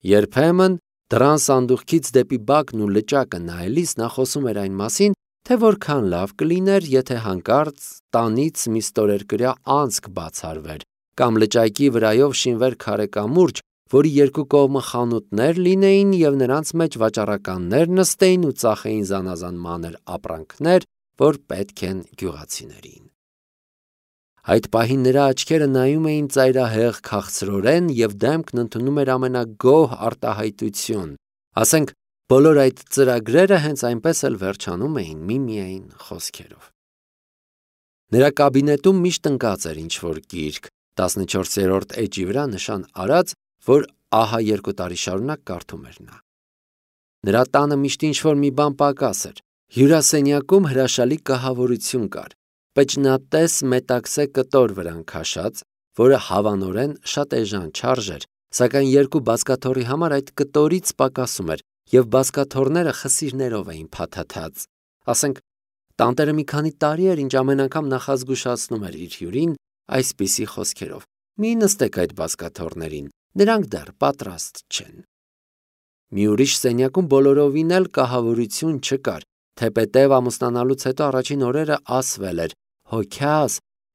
Երբեմն դռան սանդուղքից դեպի բակն ու լճակը նայելիս նա խոսում էր այն մասին, թե որքան լավ կլիներ, եթե հանկարծ տանից մի ստորերկրյա անցք բացառվեր, կամ լճակի վրայով շինվեր քարե կամուրջ, որի երկու կողմը խանութներ լինեին և նրանց մեջ վաճառականներ նստեին ու ծախեին զանազան մանր ապրանքներ, որ պետք են գյուղացիներին։ Այդ պահին նրա աչքերը նայում էին ծայրահեղ քաղցրորեն և դեմքն ընդունում էր ամենագոհ արտահայտություն, ասենք բոլոր այդ ծրագրերը հենց այնպես էլ վերջանում էին միմիայն խոսքերով։ Նրա կաբինետում միշտ ընկած էր ինչ-որ գիրք, 14-րդ էջի վրա նշան արած, որ ահա 2 տարի շարունակ կարդում էր նա։ Նրա տանը միշտ ինչ-որ մի բան պակաս էր։ Հյուրասենյակում հրաշալի կահավորություն կար, պճնատես մետաքսե կտոր վրան քաշած, որը հավանորեն շատ էժան չարժեր, սակայն 2 բազկաթոռի համար այդ կտորից պակասում էր, և բազկաթոռները խսիրներով էին փաթաթած։ Ասենք, տանտերը մի քանի տարի էր, ինչ ամեն անգամ նախազգուշացնում էր իր հյուրին այսպիսի խոսքերով. «Մի նստեք այդ բազկաթոռներին, նրանք դեռ պատրաստ չեն»։ Մի ուրիշ սենյակում բոլորովին էլ կահավորություն չկար, թեպետև ամուսնանալուց հետո առաջին օրերը ասվել էր. «Հոգյաս,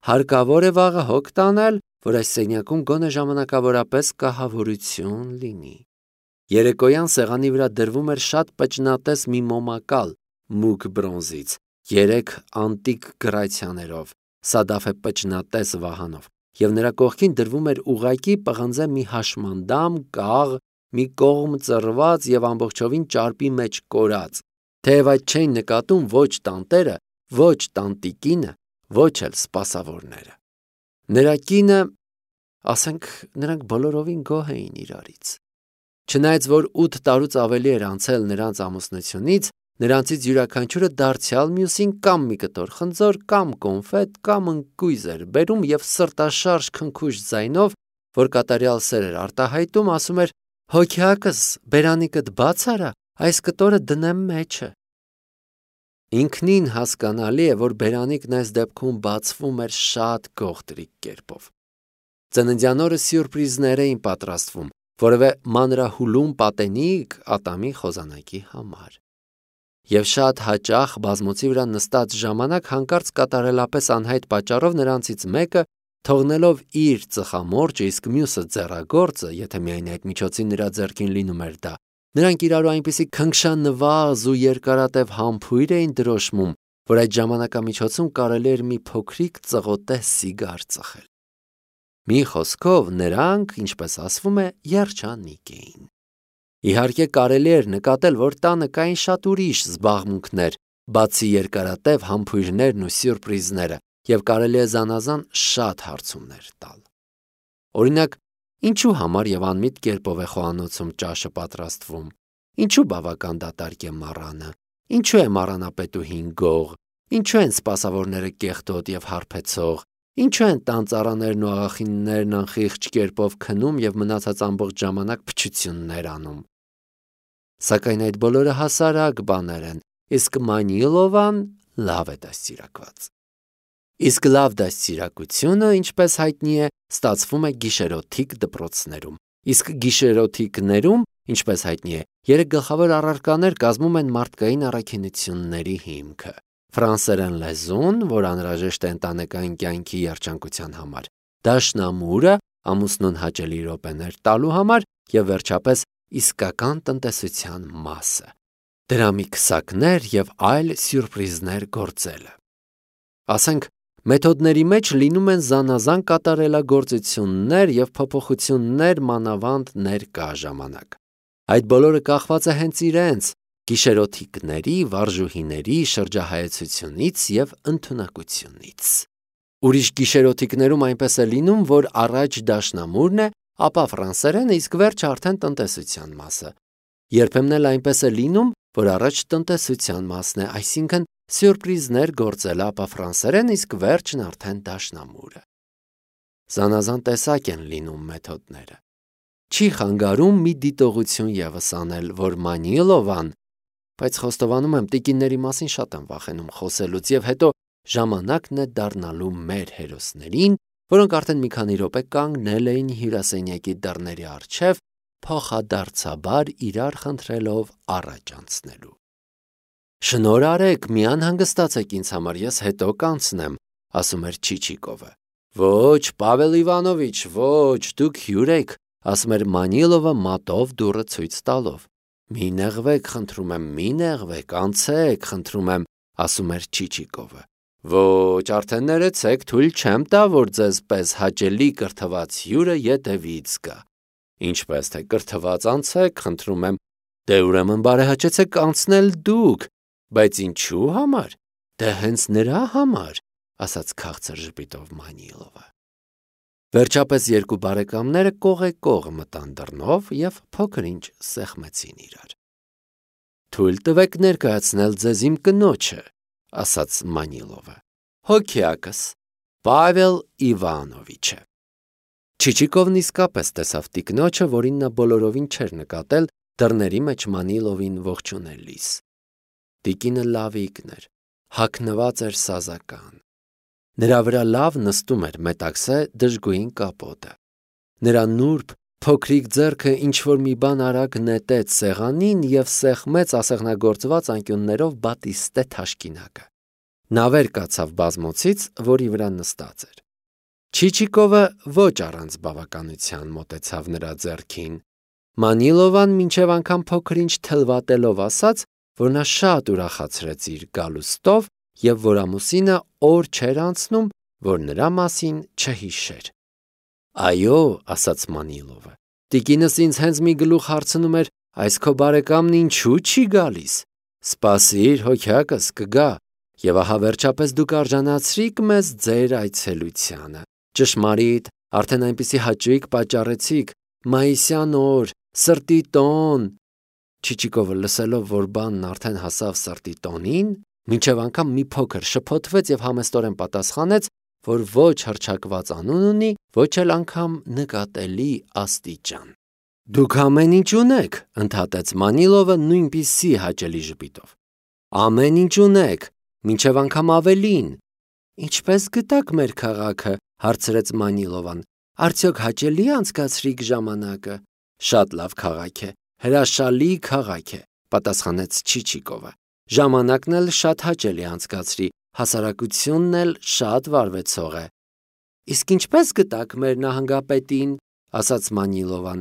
հարկավոր է վաղը հոգ տանել, որ այս սենյակում գոնե ժամանակավորապես կահավորություն լինի»։ Երեկոյան սեղանի վրա դրվում էր շատ պճնատես մի մոմակալ, մուգ բրոնզից, 3 անտիկ գրացիաներով, սադաֆե պճնատես վահանով, և նրա կողքին դրվում էր ուղղակի պղնձե մի հաշմանդամ, կաղ, մի կողմ ծռված և ամբողջովին ճարպի մեջ կորած, թեև այդ չէին նկատում ոչ տանտերը, ոչ տանտիկինը, ոչ էլ սպասավորները։ Նրա կինը, ասենք, նրանք բոլորովին գոհ էին իրարից։ Չնայած որ 8 տարուց ավելի էր անցել նրանց ամուսնությունից, նրանցից յուրաքանչյուրը դարձյալ մյուսին կամ մի կտոր խնձոր, կամ կոնֆետ, կամ ընկույզ էր բերում և սրտաշարժ քնքուշ ձայնով, որ կատարյալ սեր էր արտահայտում, ասում էր. «Հոգյակս, բերանիկդ բաց արա, այս կտորը դնեմ մեջը»։ Ինքնին հասկանալի է, որ բերանիկն այս դեպքում բացվում էր շատ գողտրիկ կերպով։ Ծննդյան օրը սյուրպրիզներ էին պատրաստվում, որևէ մանրահուլում պատենիկ ատամի խոզանակի համար։ Եվ շատ հաճախ բազմոցի վրա նստած ժամանակ հանկարծ կատարելապես անհայտ պատճառով նրանցից մեկը, թողնելով իր ծխամորճը, իսկ մյուսը ձեռագործը, եթե միայն այդ միջոցին նրա ձեռքին լինում էր դա, նրանք իրարու այնպիսի քնքշանվազ ու երկարատև համբույր էին դրոշմում, որ այդ ժամանակամիջոցում կարելի էր մի փոքրիկ ծղոտե սիգար ծխել։ Մի խոսքով նրանք, ինչպես ասվում է, երջանիկ էին։ Իհարկե կարելի էր նկատել, որ տանը կային շատ ուրիշ զբաղմունքներ, բացի երկարատև համբույրներն ու սյուրպրիզները, և կարելի է զանազան շատ հարցումներ տալ։ Օրինակ, ինչու համար և անմիտ կերպով է խոհանոցում ճաշը պատրաստվում, ինչու բավական դատարկ է մառանը, ինչու է մառանապետուհին գող, ինչու են սպասավորները կեղտոտ և հարբեցող, ինչու են տան ծառաներն ու աղախիններն անխիղճ կերպով քնում և մնացած ամբողջ ժամանակ փչություններ անում։ Սակայն այդ բոլորը հասարակ բաներ են, իսկ Մանիլովան լավ է դաստիարակված։ Իսկ լավ դաստիարակությունը, ինչպես հայտնի է, ստացվում է գիշերօթիկ դպրոցներում, իսկ գիշերօթիկներում, ինչպես հայտնի է, 3 գլխավոր առարկաներ կազմում են մարդկային առաքինությունների հիմքը. ֆրանսերեն լեզուն, որ անհրաժեշտ է ընտանեկան կյանքի երջանկության համար, դաշնամուրը, ամուսնուն հաճելի րոպեներ տալու համար, և վերջապես իսկական տնտեսության մասը, դրամի քսակներ և այլ սյուրպրիզներ գործելը։ Ասենք, մեթոդների մեջ լինում են զանազան կատարելագործություններ և փոփոխություններ մանավանդ ներկա ժամանակ։ Այդ բոլորը կախված է հենց իրենց գիշերօթիկների, վարժուհիների շրջահայեցությունից և ընդունակությունից։ Ուրիշ գիշերօթիկներում այնպես է լինում, որ առաջ դաշնամուրն է, ապա ֆրանսերենը, իսկ վերջը արդեն տնտեսության մասը։ Երբեմն էլ այնպես է լինում, որ առաջ տնտեսության մասն է, այսինքն սյուրպրիզներ գործելը, ապա ֆրանսերեն, իսկ վերջն արդեն դաշնամուրը։ Զանազան տեսակ են լինում մեթոդները։ Չի խանգարում մի դիտողություն ևս անել, որ Մանիլովան, բայց խոստովանում եմ, տիկինների մասին շատ եմ վախենում խոսելուց, և հետո ժամանակն է դառնալու մեր հերոսներին, որոնք արդեն մի քանի րոպե կանգնել էին հյուրասենյակի դռների առջև, փոխադարձաբար իրար խնդրելով առաջ անցնելու։ Շնորհ արեք, մի անհանգստացեք ինձ համար, ես հետո կանցնեմ, ասում էր Չիչիկովը։ Ոչ, Պավել Իվանովիչ, ոչ, դուք հյուր եք, ասում էր Մանիլովը մատով դուռը ցույց տալով։ Մի նեղվեք, խնդրում եմ, մի նեղվեք, անցեք, խնդրում եմ, ասում էր Չիչիկովը։ Ոչ, արդեն ներեցեք, թույլ չեմ տա, որ ձեզ պես հաճելի կրթված հյուրը ետևից գա։ Ինչպես թե կրթված անցեք, խնդրում եմ, դե ուրեմն բարեհաճեցեք անցնել դուք, բայց ինչու համար։ Դե հենց նրա համար, ասաց քաղցր ժպիտով Մանիլովը։ Վերջապես երկու բարեկամները կողեկող մտան դռնով և փոքր-ինչ սեղմեցին իրար։ Թույլ տվեք ներկայացնել ձեզ իմ կնոջը, ասաց Մանիլովը։ Հոգյակս, Պավել Իվանովիչը։ Չիչիկովն իսկապես տեսավ տիկնոջը, որին նա բոլորովին չէր նկատել դռների մեջ Մանիլովին ողջունելիս։ Տիկինը լավիկն էր, հագնված էր սազական։ Նրա վրա լավ նստում էր մետաքսե դժգույն կապոտը։ Նրա նուրբ, փոքրիկ ձեռքը ինչ-որ մի բան արագ նետեց սեղանին և սեղմեց ասեղնագործված անկյուններով բատիստե թաշկինակը։ Նա վեր կացավ բազմոցից, որի վրա նստած էր։ Չիչիկովը ոչ առանց բավականության մոտեցավ նրա ձեռքին։ Մանիլովան մինչև անգամ փոքր-ինչ թլվատելով ասաց, որ նա շատ ուրախացրեց իր գալուստով և որ ամուսինը օր չէր անցնում, որ նրա մասին չհիշեր։ Այո, ասաց Մանիլովը, տիկինս ինձ հենց մի գլուխ հարցնում էր, այս քո բարեկամն ինչու չի գալիս։ Սպասիր, հոգյակս, կգա, և ահա վերջապես դուք արժանացրիք մեզ ձեր այցելությանը։ Ճշմարիտ, արդեն այնպիսի հաճույք պատճառեցիք, մայիսյան օր, սրտի տոն։ Չիչիկովը լսելով, որ բանն արդեն հասավ սրտի տոնին, մինչև անգամ մի փոքր շփոթվեց և համեստորեն պատասխանեց, որ ոչ հռչակված անուն ունի, ոչ էլ անգամ նկատելի աստիճան։ Դուք ամեն ինչ ունեք, ընդհատեց Մանիլովը նույնպիսի հաճելի ժպիտով։ Ամեն ինչ ունեք, մինչև անգամ ավելին։ Ինչպես գտաք մեր քաղաքը, հարցրեց Մանիլովան։ Արդյոք հաճելի անցկացրիք ժամանակը։ Շատ լավ քաղաք է, հրաշալի քաղաք է, պատասխանեց Չիչիկովը։ Ժամանակն էլ շատ հաճելի անցկացրի, հասարակությունն էլ շատ վարվեցող է։ Իսկ ինչպես գտաք մեր նահանգապետին, ասաց Մանիլովան։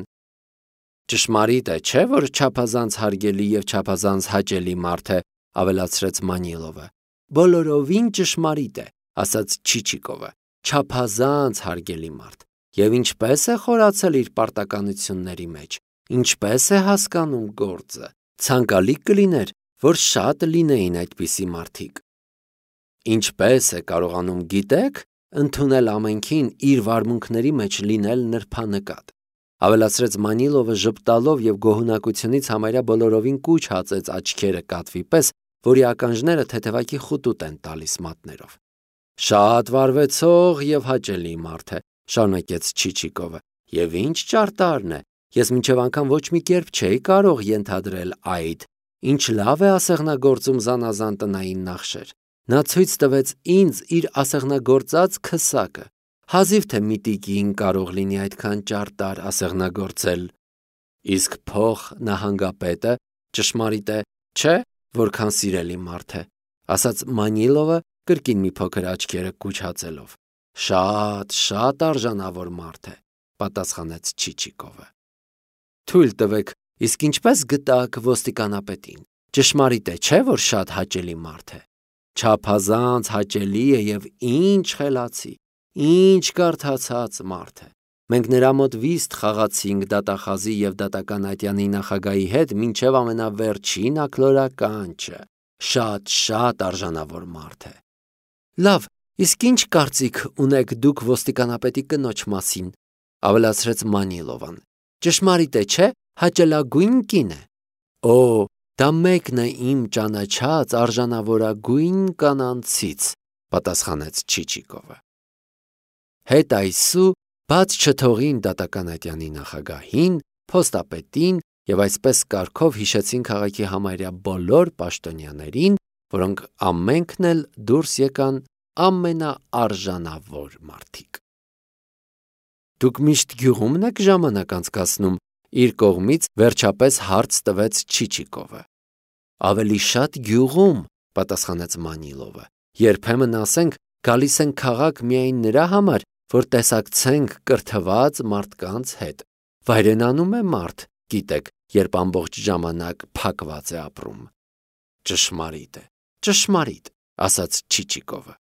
Ճշմարիտ է, չէ՞ որ չափազանց հարգելի և չափազանց հաճելի մարդ է, ավելացրեց Մանիլովը։ Բոլորովին ճշմարիտ է, ասաց Չիչիկովը, չափազանց հարգելի մարդ։ Եվ ինչպես է խորացել իր պարտականությունների մեջ, ինչպես է հասկանում գործը, ցանկալի կլիներ, որ շատ լինեին այդպիսի մարդիկ։ Ինչպես է կարողանում, գիտեք, ընդունել ամենքին իր վարմունքների մեջ լինել նրբանկատ, ավելացրեց Մանիլովը ժպտալով և գոհունակությունից համարյա բոլորովին կուչ հացեց աչքերը կատվի պես, որի ականջները թեթևակի խուտուտ են տալիս մատներով։ Շատ վարվեցող և հաճելի մարդ է, շարունակեց Չիչիկովը, և ինչ ճարտարն է, ես մինչև անգամ ոչ մի կերպ չէի կարող ենթադրել այդ, ինչ լավ է ասեղնագործում զանազան տնային նախշեր։ Նա ցույց տվեց ինձ իր ասեղնագործած քսակը։ Հազիվ թե մի տիկին կարող լինի այդքան ճարտար ասեղնագործել։ Իսկ փող նահանգապետը ճշմարիտ է, չէ, որքան սիրելի մարդ է, ասաց Մանիլովը կրկին մի փոքր աչքերը կուչ հացելով։ Շատ արժանավոր մարդ է, պատասխանեց Չիչիկովը։ Թույլ տվեք, իսկ ինչպես գտաք ոստիկանապետին։ Ճշմարիտ է, չէ, որ շատ հաճելի մարդ է։ Չափազանց հաճելի է և ինչ խելացի, ինչ կարդացած մարդ է։ Մենք նրա մոտ վիստ խաղացինք դատախազի և դատական ատյանի նախագահի հետ մինչև ամենավերջին աքլորականչը։ Շատ արժանավոր մարդ է։ Լավ, իսկ ինչ կարծիք ունեք դուք ոստիկանապետի կնոջ մասին, ավելացրեց Մանիլովան։ Ճշմարիտ է, չէ, հաճելագույն կին է։ Օ, դա մեկն է իմ ճանաչած արժանավորագույն կանանցից, պատասխանեց Չիչիկովը։ Հետ այսու բաց չթողին դատական ատյանի նախագահին, փոստապետին և այսպես կարգով հիշեցին քաղաքի համարյա բոլոր պաշտոնյաներին, որոնք ամենքն էլ դուրս եկան ամենաարժանավոր մարդիկ։ Դուք միշտ գյուղումն եք ժամանակ անցկացնում, իր կողմից վերջապես հարց տվեց Չիչիկովը։ Ավելի շատ գյուղում, պատասխանեց Մանիլովը։ Երբեմն ասենք գալիս են քաղաք միայն նրա համար, որ տեսակցենք կրթված մարդկանց հետ։ Վայրենանում է մարդ, գիտեք, երբ ամբողջ ժամանակ փակված է ապրում։ Ճշմարիտ է, ճշմարիտ, ասաց Չիչիկովը։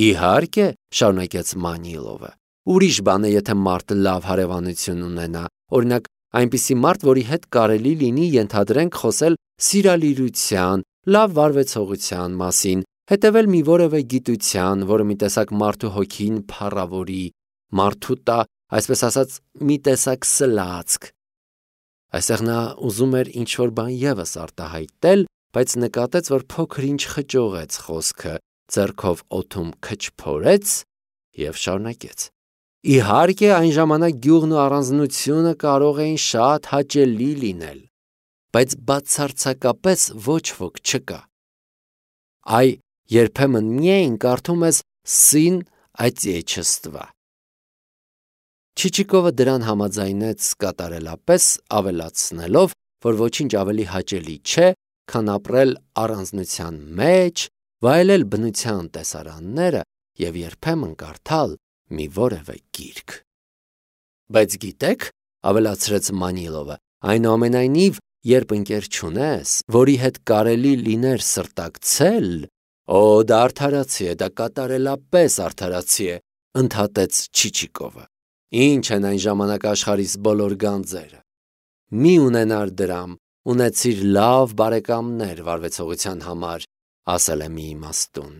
Իհարկե, շարունակեց Մանիլովը։ Ուրիշ բան է, եթե մարդը լավ հարևանություն ունենա, օրինակ այնպիսի մարդ, որի հետ կարելի լինի ենթադրենք խոսել սիրալիրության, լավ վարվեցողության մասին, հետևել մի որևէ գիտության, որը մի տեսակ մարդու հոգին փառավորի, մարդու տա, այսպես ասած, մի տեսակ սլացք։ Այստեղ նա ուզում էր ինչ-որ բան ևս արտահայտել, բայց նկատեց, որ փոքր-ինչ խճողեց խոսքը, ձեռքով օդում քչփորեց և շարունակեց. Իհարկե, այն ժամանակ գյուղն ու առանձնությունը կարող էին շատ հաճելի լինել, բայց բացարձակապես ոչ ոք չկա։ Այ երբեմն միայն կարդում ես «Սին Отечества»։ Չիչիկովը դրան համաձայնեց կատարելապես, ավելացնելով, որ ոչինչ ավելի հաճելի չէ, քան ապրել առանձնության մեջ, վայելել բնության տեսարանները և երբեմն կարդալ մի որևէ գիրք։ Բայց գիտեք, ավելացրեց Մանիլովը, այնուամենայնիվ, երբ ընկեր չունես, որի հետ կարելի լիներ սրտակցել, դա արդարացի է, դա կատարելապես արդարացի է, ընդհատեց Չիչիկովը։ Ինչ են այն ժամանակ աշխարհիս բոլոր գանձերը։ Մի ունենար դրամ, ունեցիր լավ բարեկամներ վարվեցողության համար, ասել է մի իմաստուն։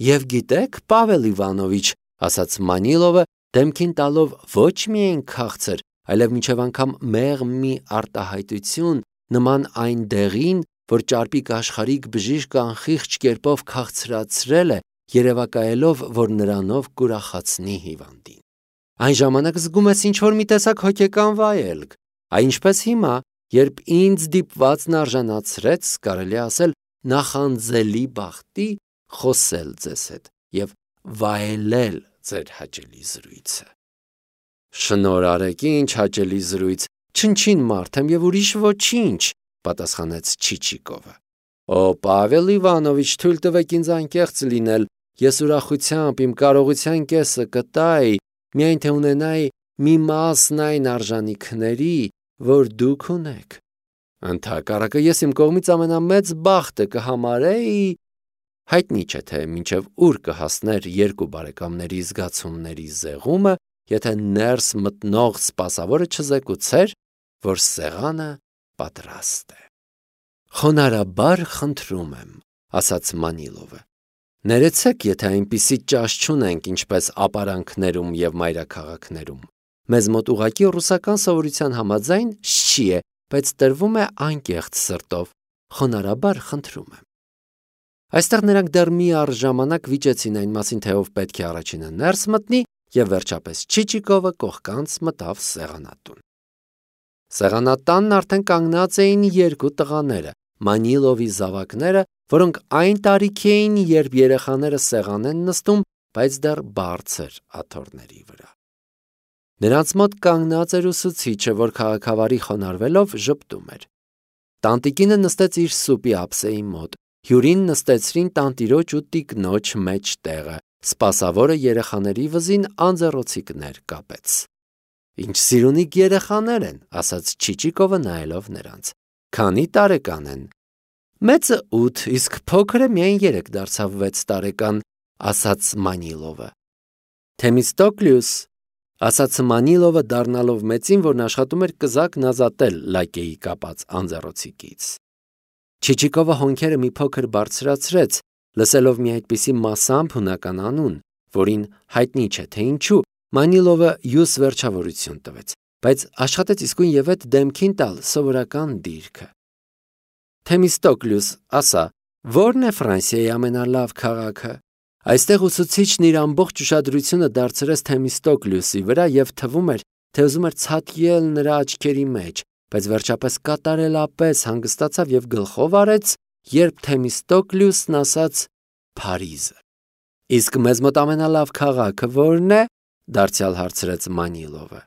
Եվ գիտեք, Պավել Իվանովիչ, ասաց Մանիլովը, դեմքին տալով ոչ միայն քաղցր, այլև մինչև անգամ մեղմ մի արտահայտություն, նման այն դեղին, որ ճարպիկ աշխարհիկ բժիշկը անխիղճ կերպով քաղցրացրել է, երևակայելով, որ նրանով կուրախացնի հիվանդին։ Այն ժամանակ զգում ես ինչ-որ մի տեսակ հոգեկան վայելք, այնպես հիմա, երբ ինձ դիպվածն արժանացրեց, կարելի ասել, նախանձելի բախտի խոսել ձեզ հետ և վայելել ձեր հաճելի զրույցը։ Շնորհ արեք, ինչ հաճելի զրույց, չնչին մարդ եմ և ուրիշ ոչինչ, պատասխանեց Չիչիկովը։ Պավել Իվանովիչ, թույլ տվեք ինձ անկեղծ լինել, ես ուրախությամբ իմ կարողության կեսը կտայի, միայն թե ունենայի մի մասն այն արժանիքների, որ դուք ունեք։ Ընդհակառակը ես իմ կողմից ամենամեծ բախտը կհամարեի, հայտնի չէ թե մինչև ուր կհասներ երկու բարեկամների զգացումների զեղումը, եթե ներս մտնող սպասավորը չզեկուցեր, որ սեղանը պատրաստ է։ Խոնարհաբար խնդրում եմ, ասաց Մանիլովը։ Ներեցեք, եթե այնպիսի ճաշ չունենք, ինչպես ապարանքներում և մայրաքաղաքներում։ Մեզ մոտ ուղղակի ռուսական սովորության համաձայն շչի է, բայց տրվում է անկեղծ սրտով։ Խոնարհաբար խնդրում եմ։ Այստեղ նրանք դեռ մի առժամանակ վիճեցին այն մասին, թե ով պետք է առաջինը ներս մտնի, և վերջապես Չիչիկովը կողքանց մտավ սեղանատուն։ Սեղանատանն արդեն կանգնած էին երկու տղաները, Մանիլովի զավակները, որոնք այն տարիքի էին, երբ երեխաները սեղան են նստում, բայց դեռ բարձր աթոռների վրա։ Նրանց մոտ կանգնած էր ուսուցիչը, որ քաղաքավարի խոնարհվելով ժպտում էր։ Տանտիկինը նստեց իր սուպի ափսեի մոտ, հյուրին նստեցրին տանտիրոջ ու տիկնոջ մեջտեղը, սպասավորը երեխաների վզին անձեռոցիկներ կապեց։ Ինչ սիրունիկ երեխաներ են, ասաց Չիչիկովը նայելով նրանց։ Քանի տարեկան են։ Մեծը 8, իսկ փոքրը միայն 3 դարձավ 6 տարեկան, ասաց Մանիլովը։ Թեմիստոկլյուս, ասաց Մանիլովը դառնալով մեծին, որն աշխատում էր կզակն ազատել լակեի կապած անձեռոցիկից։ Չիչիկովը հոնքերը մի փոքր բարձրացրեց, լսելով մի այդպիսի մասամբ հունական անուն, որին հայտնի չէ թե ինչու, Մանիլովը յուս վերջավորություն տվեց, բայց աշխատեց իսկույն եւ այդ դեմքին տալ սովորական դիրքը։ Թեմիստոկլյուս, ասա, ո՞րն է Ֆրանսիայի ամենալավ քաղաքը։ Այստեղ ուսուցիչն իր ամբողջ ուշադրությունը դարձրեց Թեմիստոկլյուսի վրա և թվում էր, թե ուզում էր ցատկել նրա աչքերի մեջ, բայց վերջապես կատարելապես հանգստացավ և գլխով արեց, երբ Թեմիստոկլյուսն ասաց Փարիզը։ Իսկ մեզ մոտ ամենալավ քաղաքը ո՞րն է, դարձյալ հարցրեց Մանիլովը։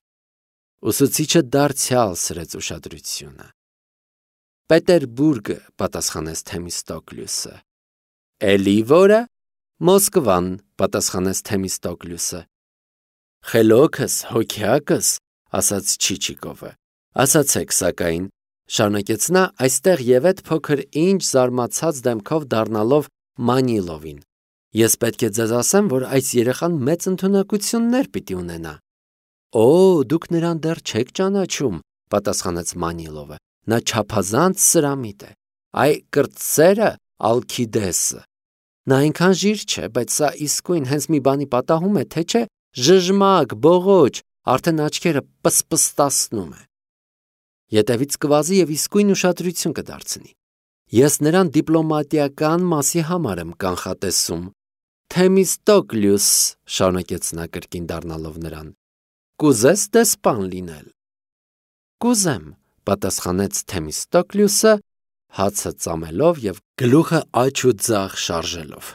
Ուսուցիչը դարձյալ սրեց ուշադրությունը։ Պետերբուրգը, պատասխանեց Թեմիստոկլյուսը։ Էլի որը։ Մոսկվան, պատասխանեց Թեմիստոկլյուսը։ Խելոքս, հոգյակս, ասաց Չիչիկովը։ Ասացեք, սակայն, շարունակեց նա, այստեղ եւ այդ փոքր ինչ զարմացած դեմքով դառնալով Մանիլովին։ Ես պետք է ձեզ ասեմ, որ այս երեխան մեծ ընդունակություններ պիտի ունենա։ Օ, դուք նրան դեռ չեք ճանաչում, պատասխանեց Մանիլովը։ Նա չափազանց սրամիտ է։ Այ կրտսերը Ալքիդեսը։ Նա այնքան ժիր չէ, բայց սա իսկույն հենց մի բանի պատահում է, թե չէ, ժժմակ, բողոջ, արդեն աչքերը պսպստացնում է։ Ետևից կվազի եւ իսկույն ուշադրություն կդարձնի։ Ես նրան դիպլոմատիական մասի համար եմ կանխատեսում։ Թեմիստոկլյուս, շարունակեց նա կրկին դառնալով նրան, կուզես դեսպան լինել։ Կուզեմ, պատասխանեց Թեմիստոկլյուսը, հացը ծամելով եւ գլուխը աջ ու ձախ շարժելով։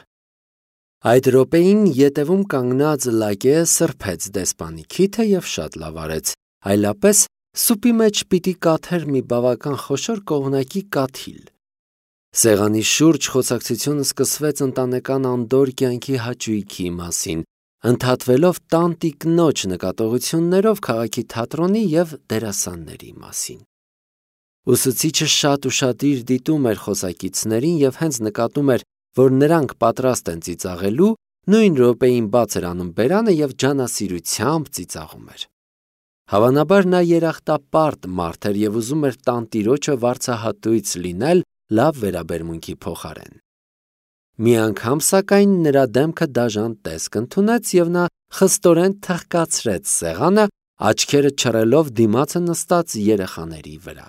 Այդ րոպեին ետևում կանգնած Լակե սրբեց դեսպանի քիթը եւ շատ լավ արեց, այլապես սուպի մեջ պիտի կաթեր մի բավական խոշոր կողմնակի կաթիլ։ Սեղանի շուրջ խոսակցությունը սկսվեց ընտանեկան անդոր կյանքի հաճույքի մասին, ընդհատվելով տանտիկնոջ նկատողություններով քաղաքի թատրոնի եւ դերասանների մասին։ Ուսուցիչը շատ ուշադիր դիտում էր խոսակիցներին եւ հենց նկատում էր, որ նրանք պատրաստ են ծիծաղելու, նույն րոպեին բաց էր անում բերանը եւ ջանասիրությամբ ծիծաղում էր։ Հավանաբար նա երախտապարտ մարդ էր եւ ուզում էր տանտիրոջը վարձահատույց լինել լավ վերաբերմունքի փոխարեն։ Մի անգամ, սակայն, նրա դեմքը դաժան տեսք ընդունեց եւ նա խստորեն թխկացրեց սեղանը, աչքերը չռելով դիմացը նստած երեխաների վրա։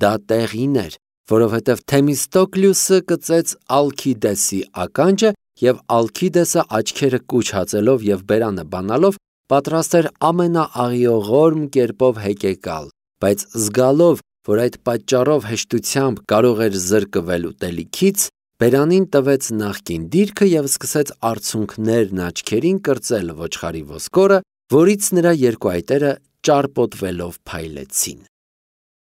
Դա տեղին էր, որովհետև Թեմիստոկլյուսը կծեց Ալքիդեսի ականջը եւ Ալքիդեսը աչքերը կուչ հացելով եւ բերանը բանալով պատրաստ էր ամենաաղիողորմ կերպով հեկեկալ, բայց զգալով, որ այդ պատճառով հեշտությամբ կարող էր զրկվել ուտելիքից, բերանին տվեց նախկին դիրքը եւ սկսեց արցունքներն աչքերին կրծել ոչխարի ոսկորը, որից նրա երկու այտերը ճարպոտվելով փայլեցին։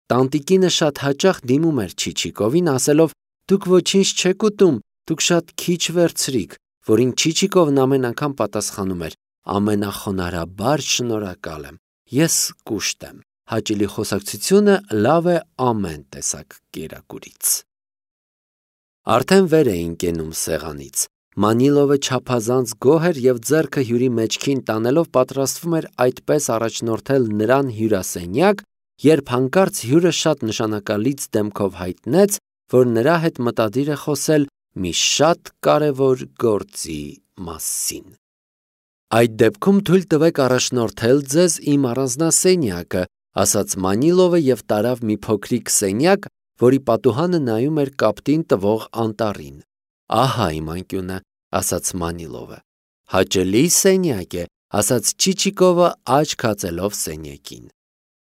Տանտիկինը շատ հաճախ դիմում էր Չիչիկովին, ասելով. «Դուք ոչինչ չեք ուտում, դուք շատ քիչ վերցրիք», որին Չիչիկովն ամեն անգամ պատասխանում էր. «Ամենախոնարհաբար շնորհակալ եմ, ես կուշտ եմ, հաճելի խոսակցությունը լավ է ամեն տեսակ կերակուրից»։ Արդեն վեր էին կենում սեղանից։ Մանիլովը չափազանց գոհ էր եւ ձեռքը հյուրի մեջքին տանելով պատրաստվում էր այդպես առաջնորդել նրան հյուրասենյակ, երբ հանկարծ հյուրը շատ նշանակալից դեմքով հայտնեց, որ նրա հետ մտադիր է խոսել մի շատ կարևոր գործի մասին։ Այդ դեպքում թույլ տվեք առաջնորդել ձեզ իմ առանձնասենյակը, ասաց Մանիլովը եւ տարավ մի փոքրիկ սենյակ, որի պատուհանը նայում էր կապտին տվող անտառին։ Ահա իմ անկյունը, ասաց Մանիլովը։ Հաճելի սենյակ է, ասաց Չիչիկովը աչք հացելով սենյակին։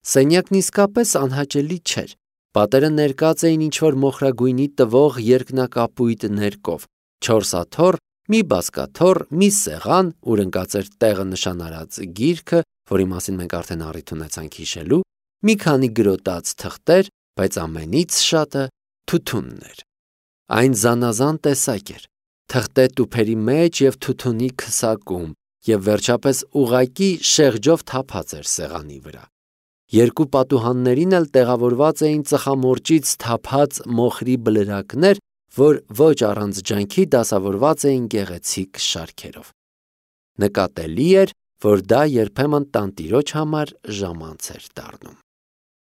Սենյակն իսկապես անհաճելի չէր։ Պատերը ներկած էին ինչ-որ մոխրագույնի տվող երկնակապույտ ներկով, 4 աթոռ, մի բազկաթոռ, մի սեղան, ուր ընկած էր տեղը նշանարած գիրքը, որի մասին մենք արդեն առիթ ունեցանք հիշելու, մի քանի գրոտած թղթեր, բայց ամենից շատը թութունն էր։ Այն զանազան տեսակ էր, թղթե տուփերի մեջ եւ թութունի քսակում, եւ վերջապես ուղակի շեղջով թափած էր սեղանի վրա։ Երկու պատուհաններին էլ տեղավորված էին ծխամորճից թափած մոխրի բլրակներ, որ ոչ առանց ջանքի դասավորված էին գեղեցիկ շարքերով։ Նկատելի էր, որ դա երբեմն տանտիրոջ համար ժամանց էր դառնում։